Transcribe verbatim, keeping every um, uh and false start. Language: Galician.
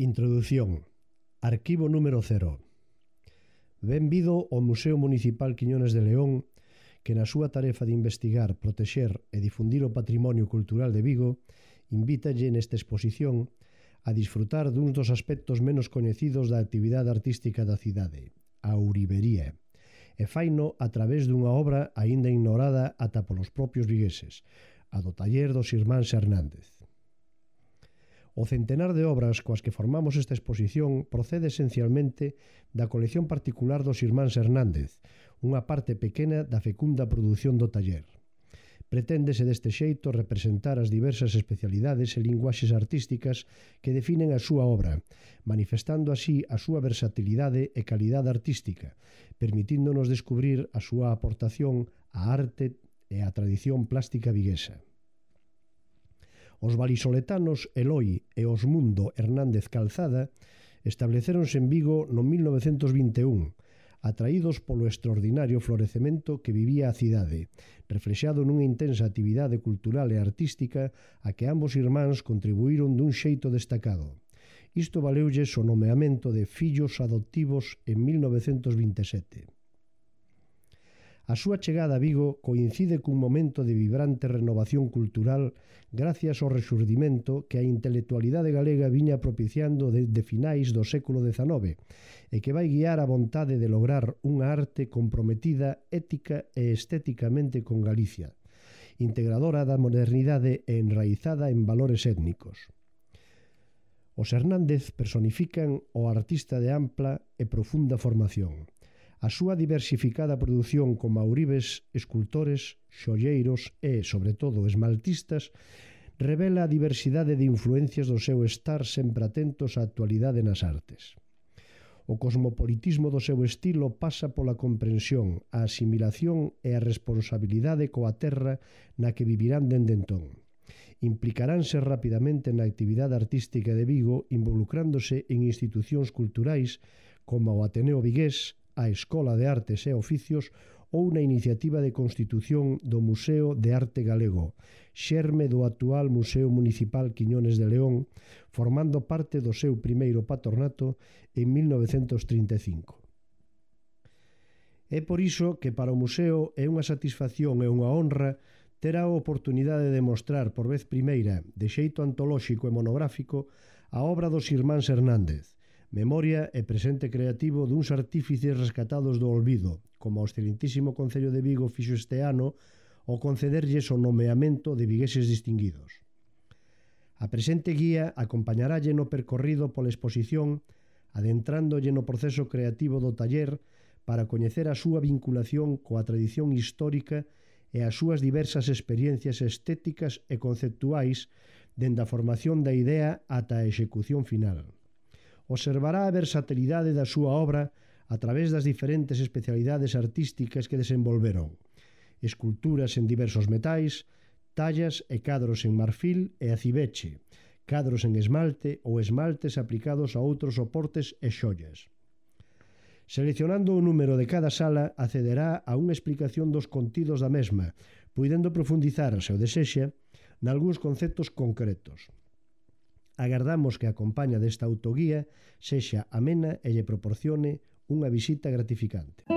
Introdución. Arquivo número cero. Benvido ao Museo Municipal Quiñones de León, que na súa tarefa de investigar, protexer e difundir o patrimonio cultural de Vigo, invítalle nesta exposición a disfrutar duns dos aspectos menos coñecidos da actividade artística da cidade, a ourivería, e faino a través dunha obra aínda ignorada ata polos propios vigueses, a do taller dos irmáns Hernández. O centenar de obras coas que formamos esta exposición procede esencialmente da colección particular dos irmáns Hernández, unha parte pequena da fecunda produción do taller. Preténdese deste xeito representar as diversas especialidades e linguaxes artísticas que definen a súa obra, manifestando así a súa versatilidade e calidade artística, permitíndonos descubrir a súa aportación á arte e á tradición plástica viguesa. Os valisoletanos Eloi e Osmundo Hernández Calzada estableceronse en Vigo no mil novecentos vinte e un, atraídos polo extraordinario florecemento que vivía a cidade, reflexado nunha intensa actividade cultural e artística a que ambos irmáns contribuíron dun xeito destacado. Isto valeulles o nomeamento de fillos adoptivos en mil novecentos vinte e sete. A súa chegada a Vigo coincide cun momento de vibrante renovación cultural gracias ao resurdimento que a intelectualidade galega viña propiciando desde finais do século dezanove e que vai guiar a vontade de lograr unha arte comprometida ética e estéticamente con Galicia, integradora da modernidade e enraizada en valores étnicos. Os Hernández personifican o artista de ampla e profunda formación. A súa diversificada produción como ourives, escultores, xolleiros e, sobre todo, esmaltistas revela a diversidade de influencias do seu estar sempre atentos á actualidade nas artes. O cosmopolitismo do seu estilo pasa pola comprensión, a asimilación e a responsabilidade coa terra na que vivirán dende entón. Implicaránse rapidamente na actividade artística de Vigo involucrándose en institucións culturais como o Ateneo Vigués, a Escola de Artes e Oficios ou na iniciativa de constitución do Museo de Arte Galego, xerme do actual Museo Municipal Quiñones de León, formando parte do seu primeiro patronato en mil novecentos trinta e cinco. É por iso que para o museo é unha satisfacción e unha honra ter a oportunidade de mostrar por vez primeira, de xeito antolóxico e monográfico, a obra dos irmáns Hernández, memoria e presente creativo duns artífices rescatados do olvido, como o excelentísimo Concello de Vigo fixo este ano ao concederlles o nomeamento de vigueses distinguidos. A presente guía acompañaralle no percorrido pola exposición, adentrándolle no proceso creativo do taller para coñecer a súa vinculación coa tradición histórica e as súas diversas experiencias estéticas e conceptuais dende a formación da idea ata a execución final. Observará a versatilidade da súa obra a través das diferentes especialidades artísticas que desenvolveron, esculturas en diversos metais, tallas e cadros en marfil e acibeche, cadros en esmalte ou esmaltes aplicados a outros soportes e xollas. Seleccionando o número de cada sala, accederá a unha explicación dos contidos da mesma, puidendo profundizar, se o desexa, nalgúns conceptos concretos. Agardamos que a compaña desta autoguía sexa amena e lle proporcione unha visita gratificante.